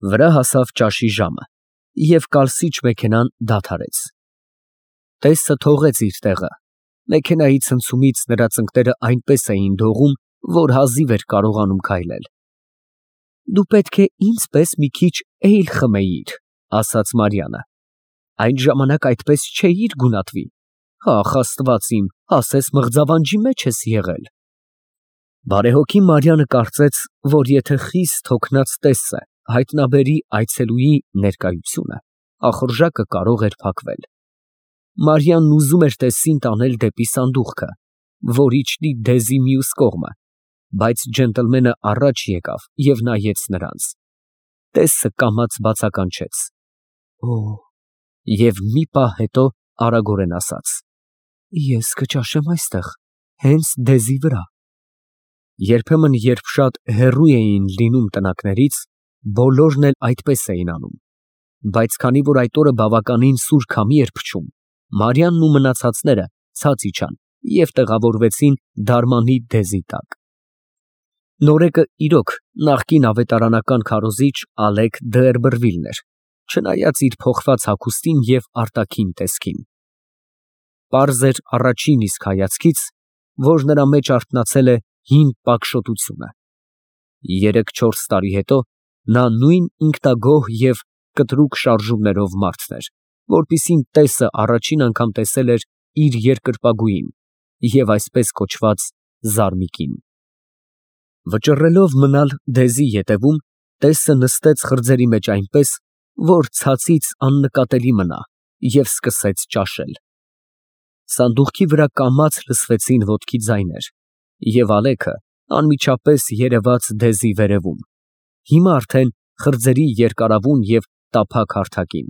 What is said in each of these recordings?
Վրա հասավ ճաշի ժամը, և կալսիչ մեքենան դադարեց։ Տեսը թողեց իր տեղը, մեքենայի ցնցումից նրա ծնկները այնպես էին դողում, որ հազիվ էր կարողանում քայլել։ Դու պետք է ինձ պես մի քիչ էյլ խմեիր, ասաց Մարիանը, այդ ժամանակ այդպես չէիր գունատվի, ախ Աստված իմ, ասես մղձավանջի մեջ ես եղել։ Բարեհոգի Մարիանը կարծեց, որ եթե խիստ հոգնած տեսը հայտնաբերի այցելուի ներկայությունը, ախորժակը կարող էր փակվել։ Մարիանն ուզում էր տեսին տանել դեպի սանդուղքը, որ իջնի դեզի մյուս կողմը, բայց ջենտլմենը առաջ եկավ և նայեց նրանց։ Տեսը կամաց բացականչեց. Օ, և մի պահ հետո արագորեն ասաց. Ես կճաշեմ այստեղ, հենց դեզի վրա։ Երբեմն, երբ շատ հեռու էին լինում տնակներից, բոլորն էլ այդպես էին անում, բայց քանի որ այդ օրը բավականին սուր քամի էր փչում, Մարիանն ու մնացածները ցած իջան և տեղավորվեցին դարմանի դեզի տակ։ Նորեկը իրոք նախկին ավետարանական քարոզիչ Ալեկ Դ'Երբերվիլն էր, չնայած իր փոխված հագուստին և արտաքին տեսքին։ Պարզ էր առաջին իսկ հայացքից, որ նրա մեջ արթնացել է հին պակշոտությունը։ 3-4 տարի հետո նա նույն ինքնագոհ և կտրուկ շարժումներով մարդն էր, որպիսին տեսը առաջին անգամ տեսել էր իր երկրպագուին և այսպես կոչված զարմիկին։ Վճռելով մնալ դեզի ետևում, տեսը նստեց խրձերի մեջ այնպես, որ ցածից աննկատելի մնա և սկսեց ճաշել։ Սանդուղքի վրա կամաց լսվեցին ոտքի ձայներ, և Ալեքը անմիջապես երևաց դեզի վերևում, հիմա արդեն խրձերի երկարավուն և տափակ հարթակին։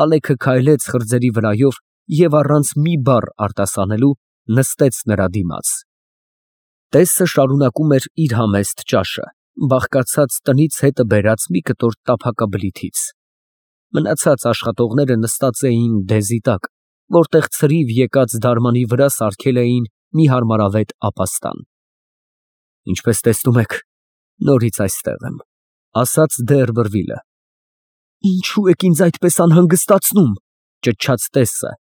Ալեքը քայլեց խրձերի վրայով և առանց մի բառ արտասանելու նստեց նրա դիմաց։ Տեսը շարունակում էր իր համեստ ճաշը, բաղկացած տնից հետը բերած մի կտոր տափակաբլիթից։ Մնացած աշխատողները նստած էին դեզի տակ, որտեղ ցրիվ եկած դարմանի վրա սարքել էին մի հարմարավետ ապաստան։ Ինչպես տեսնում եք, նորից այստեղ եմ, ասաց Դ'Երբերվիլը։ Ինչու եք ինձ այդպես անհանգստացնում, ճչաց տեսը,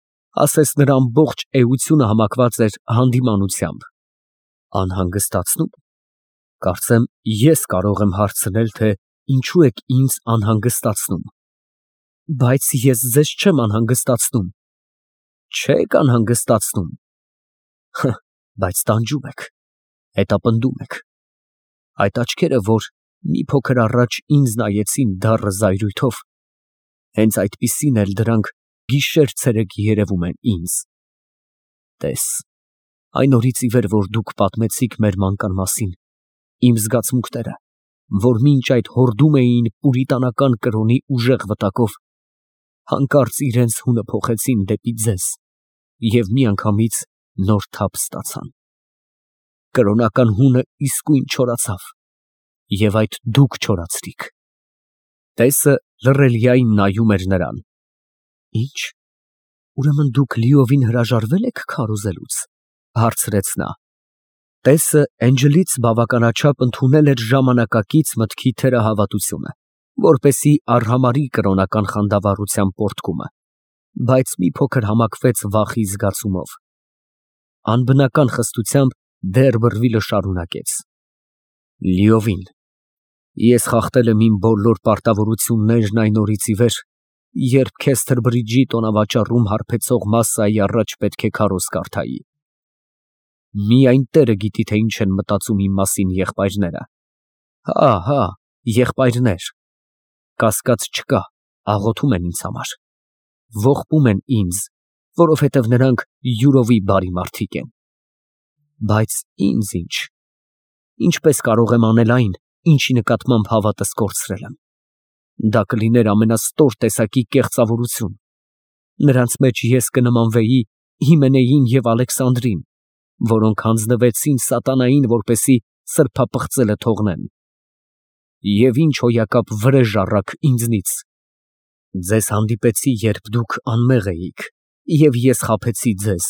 ասես նրա ամբողջ էությունը համակված էր հանդիմանությամբ։ Անհանգստացնում։ Կարծեմ ես կարող եմ հարցնել, թե ինչու եք ինձ անհանգստացնում։ Բայց ես ձեզ չեմ անհանգստացնում։ Չեք անհանգստացնում։ Բայց տանջում եք, հետապնդում եք։ Այդ աչքերը, որ մի փոքր առաջ ինձ նայեցին դառը զայրույթով, հենց այդպիսին էլ դրանք գիշեր֊ցերեկ երևում են ինձ։ Տես, այն օրից ի վեր, որ դուք պատմեցիք մեր մանկան մասին, իմ զգացմունքները, որ մինչ այդ հորդում էին պուրիտանական կրոնի ուժեղ վտակով, հանկարծ իրենց հունը փոխեցին դեպի ձեզ և միանգամից նոր թափ ստացան։ Կրոնական հունը իսկույն չորացավ, և այդ դուք չորացրիք։ Տեսը լռելիայն նայում էր նրան։ Ինչ, ուրեմն դուք լիովին հրաժարվե՞լ եք քարոզելուց, հարցրեց նա։ Տեսը էնջլից բավականաչափ ընդունել էր ժամանակակից մտքի թերահավատությունը, որպեսզի արհամարհի կրոնական խանդավառության պոռթկումը, բայց մի փոքր համակվեց վախի զգացումով։ Անբնական խստությամբ Դ'Երբերվիլը շարունակեց. Լիովին։ Ես խախտել եմ իմ բոլոր պարտավորություններն այն օրից ի վեր, երբ Քեսթերբրիջի տոնավաճառում հարբեցող մասսայի առաջ պետք է քարոզ կարդայի։ Միայն Տերը գիտի, թե ինչ են մտածում իմ մասին եղբայրները։ Հա, եղբայրներ։ Կասկած չկա, աղոթում են ինձ համար։ Ողբում են ինձ, որովհետև նրանք յուրովի բարի մարդիկ են։ Բայց ինձ ինչ։ Ինչպես կարող եմ անել այն, ինչի նկատմամբ հավատս կորցրել եմ։ Դա կլիներ ամենաստոր տեսակի կեղծավորություն։ Նրանց մեջ ես կնմանվեի Հիմենեին և Ալեքսանդրին, որոնք հանձնվեցին սատանային, որպեսզի սրբապղծելը թողնեն։ Եվ ինչ հոյակապ վրեժ առաք ինձնից։ Ձեզ հանդիպեցի, երբ դուք անմեղ էիք, և ես խաբեցի ձեզ։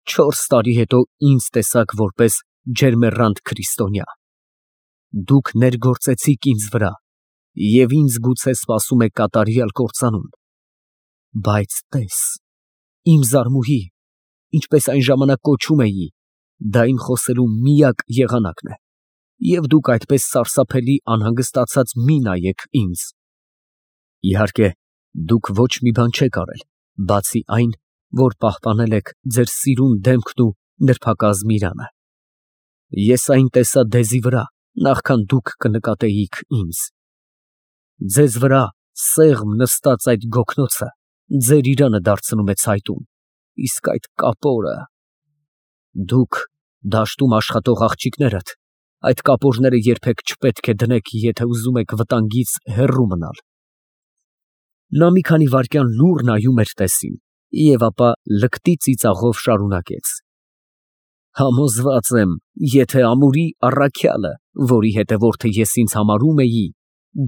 4 տարի հետո ինձ տեսաք որպես ջերմեռանդ քրիստոնյա։ Դուք ներգործեցիք ինձ վրա և ինձ գուցե սպասում է կատարյալ կործանում։ Բայց տես, իմ զարմուհի, ինչպես այն ժամանակ կոչում էի, դա իմ խոսելու միակ եղանակն է, և դուք այդպես սարսափելի անհանգստացած մի նայեք ինձ։ Իհարկե, դուք ոչ մի բան չեք արել, բացի այն, որ պահպանել եք ձեր սիրուն դեմքն ու նրբակազմ իրանը։ Ես այն տեսա դեզի վրա, նախքան դուք կնկատեիք ինձ։ Ձեզ վրա սեղմ նստած այդ գոգնոցը ձեր իրանը դարձնում է ցայտուն, իսկ այդ կապորը… Դուք, դաշտում աշխատող աղջիկներդ, այդ կապորները երբեք չպետք է դնեք, եթե ուզում եք վտանգից հեռու մնալ։ Նա մի քանի վայրկյան լուռ նայում էր տեսին և ապա լկտի ծիծաղով շարունակեց. Համոզված եմ, եթե ամուրի առաքյալը, որի հետևորդը ես ինձ համարում էի,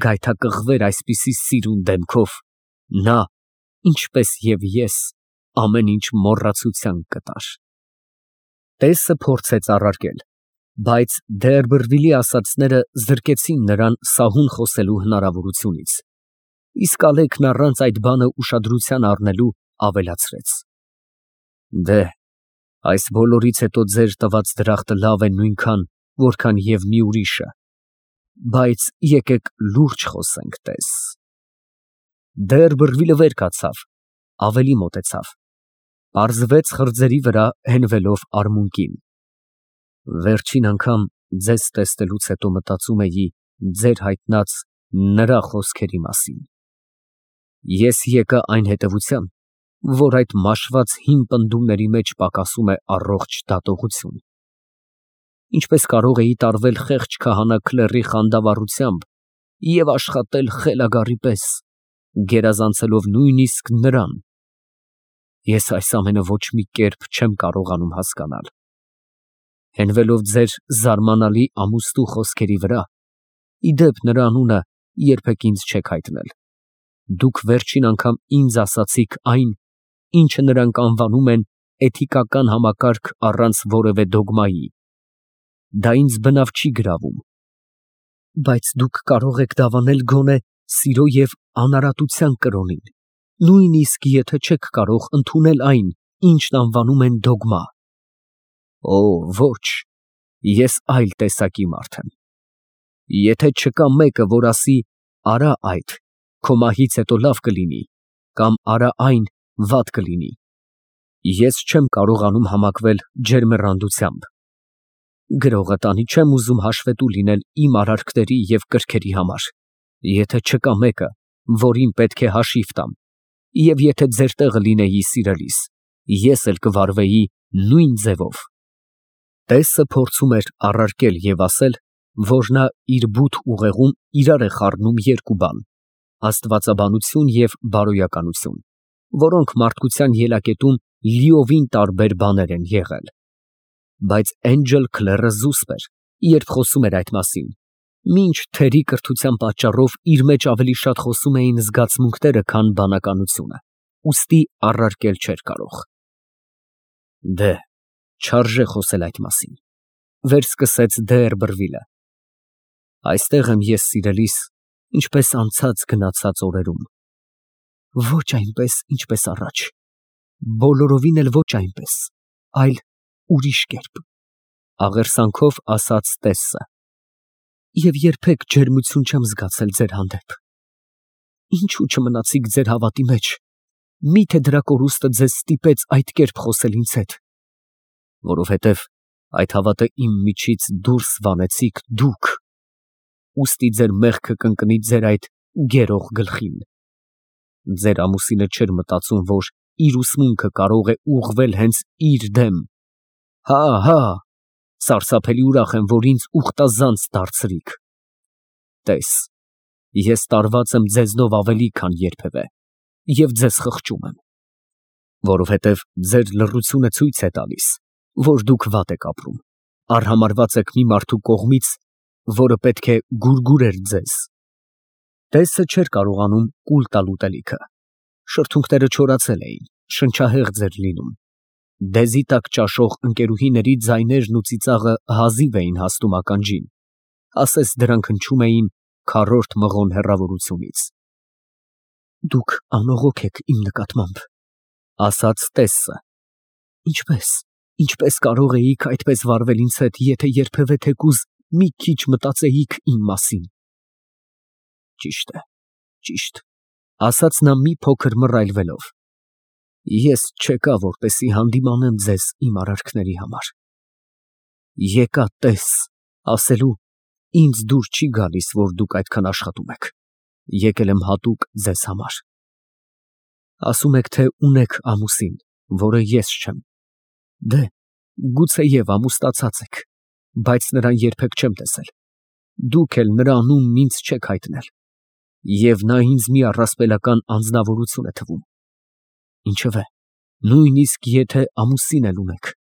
գայթակղվեր այսպիսի սիրուն դեմքով, նա, ինչպես և ես, ամեն ինչ մոռացության կտար։ Տեսը փորձեց առարկել, բայց Դերբերվիլի ասածները զրկեցին նրան սահուն խոսելու հնարավորությունից, իսկ Ալեքն առանց այդ բանը ուշադրության առնելու ավելացրեց. Դե, այս բոլորից հետո ձեր տված դրախտը լավ է նույնքան, որքան և մի ուրիշը, բայց եկեք լուրջ խոսենք, տես։ Դերբերվիլը վեր կացավ, ավելի մոտեցավ, պարզվեց խրձերի վրա հենվելով արմունկին։ Վերջին անգամ ձեզ տեսնելուց հետո մտածում էի ձեր հայտնած նրա խոսքերի մասին։ Ես եկա այն հետևության, որ այդ մաշված հին պնդումների մեջ պակասում է առողջ դատողություն։ Ինչպես կարող էի տարվել խեղճ քահանա քլեռի խանդավառությամբ և աշխատել խելագարի պես, գերազանցելով նույնիսկ նրան։ Ես այս ամենը ոչ մի կերպ չեմ կարողանում հասկանալ։ Հենվելով ձեր զարմանալի ամուստու խոսքերի վրա, ի դեպ նրա անունը երբեք ինձ չեք հայտնել, դուք վերջին անգամ ինձ ասացիք այն, ինչը նրանք անվանում են էթիկական համակարգ առանց որևէ դոգմայի։ Դա ինձ բնավ չի գրավում։ Բայց դուք կարող եք դավանել գոնե սիրո և անարատության կրոնին, նույնիսկ եթե չեք կարող ընդունել այն, ինչն անվանում են դոգմա։ Օ, ոչ, ես այլ տեսակի մարդ եմ։ Եթե չկա մեկը, որ ասի «արա այդ, քո մահից հետո լավ կլինի» կամ «արա այն, վատ կլինի», ես չեմ կարողանում համակվել ջերմեռանդությամբ։ Գրողը տանի չեմ ուզում հաշվետու լինել իմ արարքների և կրքերի համար, եթե չկա մեկը, որին պետք է հաշիվ տամ, և եթե ձեր տեղը լինեի սիրելիս, ես էլ կվարվեի նույն ձևով։ Տեսը փորձում էր առարկել և ասել, որ նա իր բութ ուղեղում իրար է խառնում երկու բան՝ աստվածաբանություն և բարոյականություն, որոնք մարդկության ելակետում լիովին տարբեր բաներ են եղել։ Բայց Էնջել Քլերը զուսպ էր, երբ խոսում էր այդ մասին, մինչ թերի կրթության պատճառով իր մեջ ավելի շատ խոսում էին զգացմունքները, քան բանականությունը, ուստի առարկել չէր կարող։ Դե, չարժե խոսել այդ մասին, վերսկսեց Դերբերվիլը։ Այստեղ եմ ես սիրելիս, ինչպես անցած գնացած օրերում։ Ոչ այնպես, ինչպես առաջ, բոլորովին էլ ոչ այնպես, այլ ուրիշ կերպ, աղերսանքով ասաց Տեսսը։ Եվ երբեք ջերմություն չեմ զգացել ձեր հանդեպ։ Ինչու չմնացիք ձեր հավատի մեջ, միթե դրա կորուստը ձեզ ստիպեց այդ կերպ խոսել ինձ հետ։ Որովհետև այդ հավատը իմ միջից դուրս վանեցիք դուք, ուստի ձեր մեղքը կընկնի ձեր այդ գերող գլխին։ Ձեր ամուսինը չէր մտածում, որ իր ուսմունքը կարող է ուղղվել հենց իր դեմ։ Հա, սարսափելի ուրախ եմ, որ ինձ ուխտազանց դարձրիք։ Տես, ես տարված եմ ձեզնով ավելի, քան երբևէ, և ձեզ խղճում եմ, որովհետև ձեր լռությունը ցույց է տալիս, որ դուք վատ եք ապրում, արհամարհված եք մի մարդու կողմից, որը պետք է գուրգուրեր ձեզ։ Տեսը չէր կարողանում կուլ տալ ուտելիքը։ Շրթունքները չորացել էին, շնչահեղձ էր լինում։ Դեզի տակ ճաշող ընկերուհիների ձայներն ու ծիծաղը հազիվ էին հասնում ականջին, ասես դրանք հնչում էին քառորդ մղոն հեռավորությունից։ Դուք անողոք եք իմ նկատմամբ, ասաց Տեսը։ Ինչպես կարող էիք այդպես վարվել ինձ հետ, եթե երբևէ թեկուզ մի քիչ մտածեիք իմ մասին։ Ճիշտ, ասաց նա մի փոքր մռայլվելով։ Ես չեկա, որպեսզի հանդիմանեմ ձեզ իմ արարքների համար։ Եկա տես ասելու, ինձ դուր չի գալիս, որ դուք այդքան աշխատում եք։ Եկել եմ հատուկ ձեզ համար։ Ասում եք, թե ունեք ամուսին, որը ես չեմ։ Դե, գուցեև ամուսնացած եք, բայց նրան երբեք չեմ տեսել։ Դուք էլ նրա անունն ինձ չեք հայտնել։ Եվ նա ինձ մի առասպելական անձնավորություն է թվում։ Ինչևէ, նույնիսկ եթե ամուսին էլ ունեք,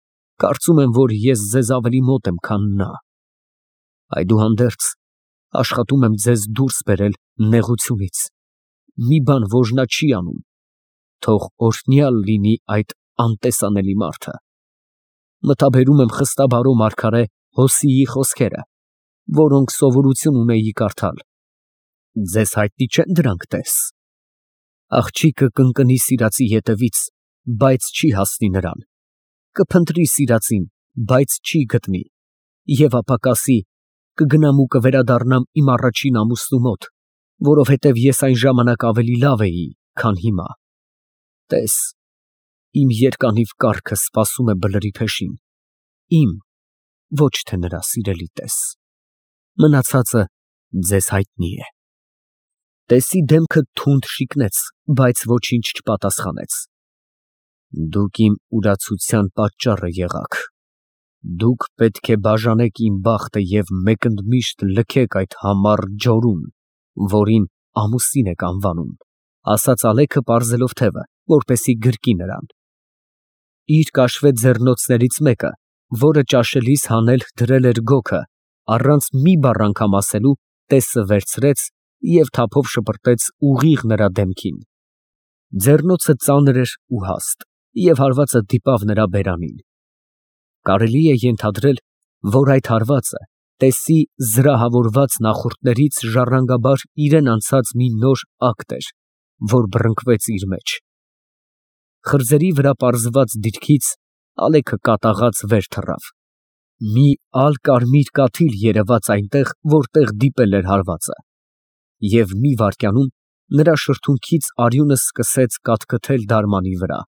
կարծում եմ, որ ես ձեզ ավելի մոտ եմ, քան նա։ Այդուհանդերձ, աշխատում եմ ձեզ դուրս բերել նեղությունից։ Մի բան, որ նա չի անում, թող օրհնյալ լինի այդ անտեսանելի մարդը։ Մտաբերում եմ խստաբարո մարգարե Հոսիի խոսքերը, որոնք սովորություն ունեի կարդալ։ Ձեզ հայտնի չեն դրանք, տես։ Աղջիկը կընկնի սիրածի ետևից, բայց չի հասնի նրան։ Կփնտրի սիրածին, բայց չի գտնի։ Եվ ապա կասի. կգնամ ու կվերադառնամ իմ առաջին ամուսնու մոտ, որովհետև ես այն ժամանակ ավելի լավ էի, քան հիմա։ Տես, իմ երկանիվ կառքը սպասում է բլրի փեշին, իմ, ոչ թե նրա սիրելի տես։ Մնացածը ձեզ հայտնի է։ Տեսի դեմքը թունդ շիկնեց, բայց ոչինչ չպատասխանեց։ Դուք իմ ուրացության պատճառը եղաք։ Դուք պետք է բաժանեք իմ բախտը և մեկընդմիշտ լքեք այդ համառ ջորուն, որին ամուսին եք անվանում, ասաց Ալեքը պարզելով թևը, որպեսզի գրկի նրան։ Իր կաշվե ձեռնոցներից մեկը, որը ճաշելիս հանել դրել էր գոգը, առանց մի բառ անգամ ասելու, տեսը վերցրեց և թափով շպրտեց ուղիղ նրա դեմքին։ Ձեռնոցը ծանր էր ու հաստ, և հարվածը դիպավ նրա բերանին։ Կարելի է ենթադրել, որ այդ հարվածը տեսի զրահավորված նախորդներից ժառանգաբար իրան անցած մի նոր ակտ էր, որ բռնկվեց իր մեջ։ Խրձերի վրա պարզված դիրքից Ալեքը կատաղած վեր թռավ։ Մի ալ֊կարմիր կաթիլ երևաց այնտեղ, որտեղ դիպել էր հարվածը։ Եվ մի վայրկյանում նրա շրթունքից արյունը սկսեց կաթքթել դարմանի վրա։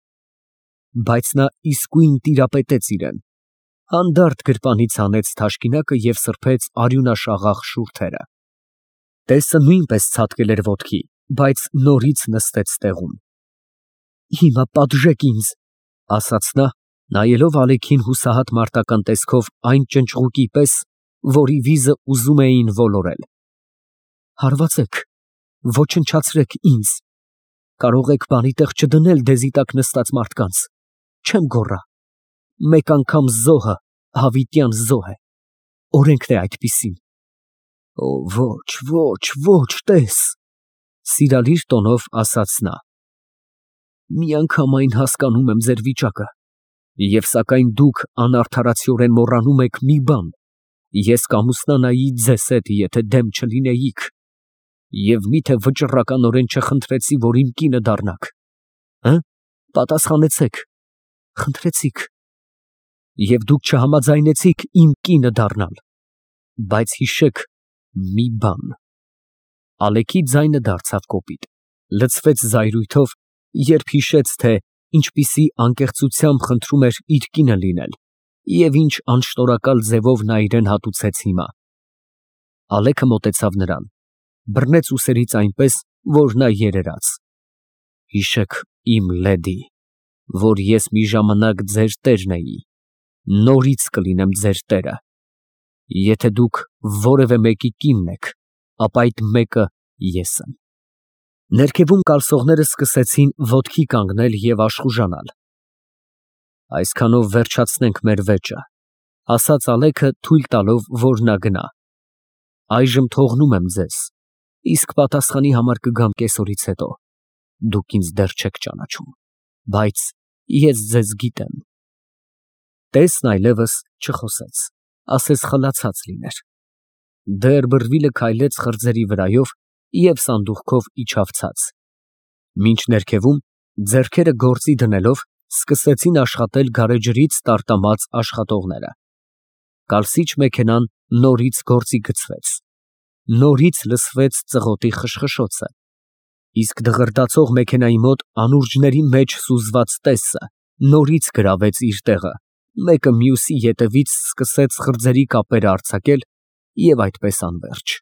Բայց նա իսկույն տիրապետեց իրան, հանդարտ գրպանից հանեց թաշկինակը և սրբեց արյունաշաղախ շուրթերը։ Տեսը նույնպես ցատկել էր ոտքի, բայց նորից նստեց տեղում։ Հիմա պատժեք ինձ, ասաց նա, նայելով Ալեքին հուսահատ մարտական տեսքով այն ճնճղուկի պես, որի վիզը ուզում էին ոլորել։ Հարվածեք, ոչնչացրեք ինձ, կարող եք բանի տեղ չդնել դեզի տակ նստած մարդկանց, չեմ գոռա, մեկ անգամ զոհը հավիտյան զոհ է, օրենքն է այդպիսին։ Ոչ, տես, սիրալիր տոնով ասաց նա։ Միանգամայն հասկանում եմ ձեր վիճակը, և սակայն դուք անարդարացիորեն մոռանում եք մի բան. ես կամուսնանայի ձեզ հետ, եթե դեմ չլինեիք, և միթե վճռականորեն չխնդրեցի, որ իմ կինը դառնաք, պատասխանեցեք, խնդրեցիք, և դուք չհամաձայնեցիք իմ կինը դառնալ, բայց հիշեք մի բան։ Ալեքի ձայնը դարձավ կոպիտ, լցվեց զայրույթով, երբ հիշեց, թե ինչպիսի անկեղծությամբ խնդրում էր իր կինը լինել և ինչ անշնորհակալ ձևով նա իրան հատուցեց հիմա։ Ալեքը մոտեցավ նրան, բռնեց ուսերից այնպես, որ նա երերաց։ Հիշեք, իմ լեդի, որ ես մի ժամանակ ձեր տերն էի, նորից կլինեմ ձեր տերը։ Եթե դուք որևէ մեկի կինն եք, ապա այդ մեկը ես եմ։ Ներքևում կալսողները սկսեցին ոտքի կանգնել և աշխուժանալ։ Այսքանով վերջացնենք մեր վեճը, ասաց Ալեքը, թույլ տալով, որ նա գնա։ Այժմ թողնում եմ ձեզ, իսկ պատասխանի համար կգամ կեսօրից հետո։ Դուք ինձ դեռ չեք ճանաչում, բայց ես ձեզ գիտեմ։ Տեսն այլևս չխոսեց, ասես խլացած լիներ։ Դեռ բռվիլը քայլեց խրձերի վրայով և սանդուղքով իջավ ցած։ Մինչ ներքևում, ձեռքերը գործի դնելով, սկսեցին աշխատել գարեջրից տարտամած աշխատողները։ Կալսիչ մեքենան նորից գործի գցվեց։ Նորից լսվեց ծղոտի խշխշոցը, իսկ դղրդացող մեքենայի մոտ անուրջների մեջ սուզված տեսը նորից գրավեց իր տեղը, մեկը մյուսի ետևից սկսեց խրձերի կապերը արձակել և այդպես անվերջ։